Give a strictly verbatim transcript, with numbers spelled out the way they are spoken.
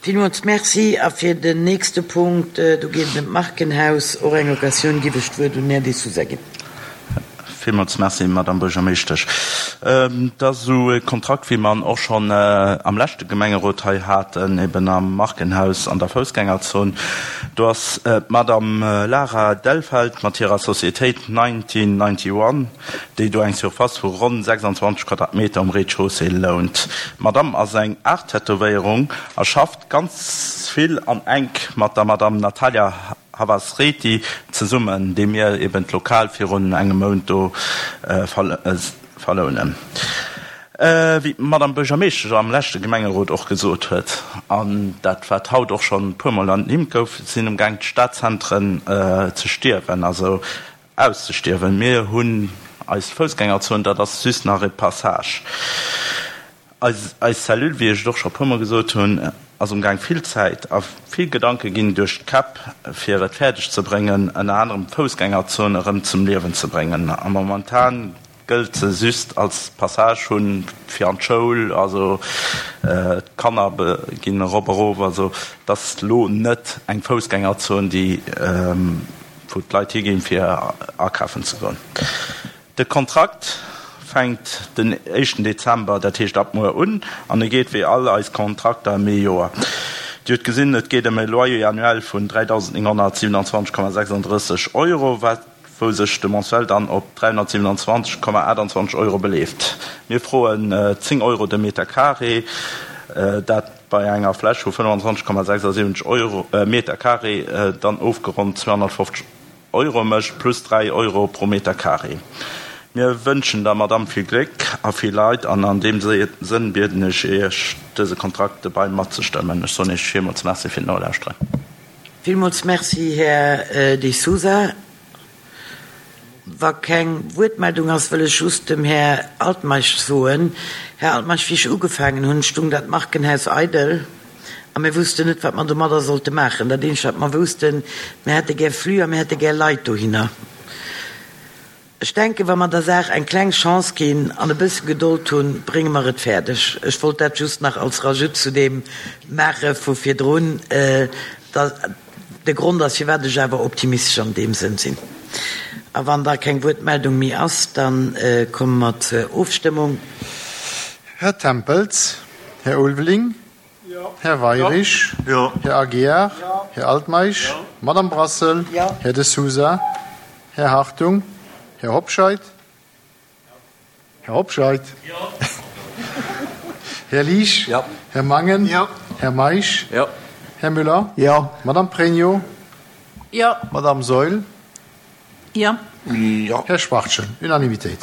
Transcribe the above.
Villmools Merci. A fir den nächste Punkt, do geet et ëm d'Markenhaus, och eng Occasioun, giff ech d'Wuert un den Här De Sousa ginn. Villmools Merci, Madame Buergermeeschtesch. Et ass esou e Kontrakt, wéi mer en och schonn am leschte Gemengerot hei haten, eben am Markenhaus an der Foussgängerzon. Do ass d'Madame Lara Delfeld mat hirer Societéit nineteen ninety-one, déi do eng Surface vu ronn sechsundzwanzeg Quadratmeter um Rez-de-chaussée lount. D'Madame ass eng Art-Tätowéierung a schafft ganz vill an enk mat der Madame Natalia Havasreti zesummen, déi mir eben d'Lokal virun engem Mount do verlounen. Wéi d'Madame Buergermeeschtesch am leschte Gemengerot och gesot huet, an dat wat haut och schonn e puermol ernimmt gouf, sinn umgaang d'Stadzentren ze stierwen, also auszestierwen. Mir hunn eis Foussgängerzon, dat ass just nach e Passage. Eis eis Cellule, wéi ech et och scho puermol gesot hunn, ass umgaang vill Zäit a vill Gedanke ginn duerch d'Käpp, fir et fäerdeg ze bréngen, ënner anerem d'Foussgängerzon erëm zum Liewen ze bréngen. A momentan gëllt se just als Passage hunn fir an d'Schoul, also d'Kanner ginn erop erof, also et ass lo net eng Foussgängerzon, déi wou d'Leit higinn, fir akafen ze goen. De Kontrakt fänkt den éischten Dezember, dat heescht ab muer un, an e geet wéi all eis Kontrakter ëm ee Joer. Dir hutt gesinn, et geet ëm e Loyer annuel vun dräidausendnénghonnertsiewenundzwanzeg Komma sechsunddrësseg Euro, wat wou sech de Mensuel dann op dräihonnertsiewenundzwanzeg Komma aachtundzwanzeg Euro beleeft. Mir froen zéng Euro de Meter carré, dat bei enger Fläch vu fënnefanzwanzeg Komma sechsundsiwwenzeg Euro Meter carré dann ofgeronnt zweehonnertfofzeg Euro mécht, plus dräi Euro pro Meter carré. Mir wënschen der Madame vill Gléck a vill Leid an an deem Sënn bieden ech Iech, dëse Kontrakt dobei matzestëmmen. Ech soen Iech villmools Merci fir d'Nolauschteren. Villmools Merci, Här De Sousa. Wa keng Wuertmeldung ass, wëll ech just dem Här Altmeisch soen, Här Altmeisch, wéi ech ugefaangen hunn, stung dat Markenhaus eidel a mir woussten net, wat mer domadder sollte maachen. Dat eenzegt, wat mer woussten, mir hätte gär Flux a mir hätte gär Leit dohinner. Ech denken, wa mer der Saach eng kleng Chance ginn an e bësse Gedold hunn, brénge mer et fäerdeg. Ech wollt dat just nach als Rajout zu deem maache vu virdrun, dat de Grond ass, firwat ech awer optimistesch an deem Sënn sinn. A wann da keng Wuertmeldung méi ass, da komme mer zur Ofstëmmung. Här Tempels, Här Ulveling, Här Weirich, Här Aguiar, Här Altmeisch, Madame Brassel, Här De Sousa, Här Hartung, Här Hobscheit, Här Hobscheit, Här Liesch, Här Mangen, Här Meisch, Här Müller, Madame Pregno, Madame Saeul, Här Schwachtgen. Unanimitéit.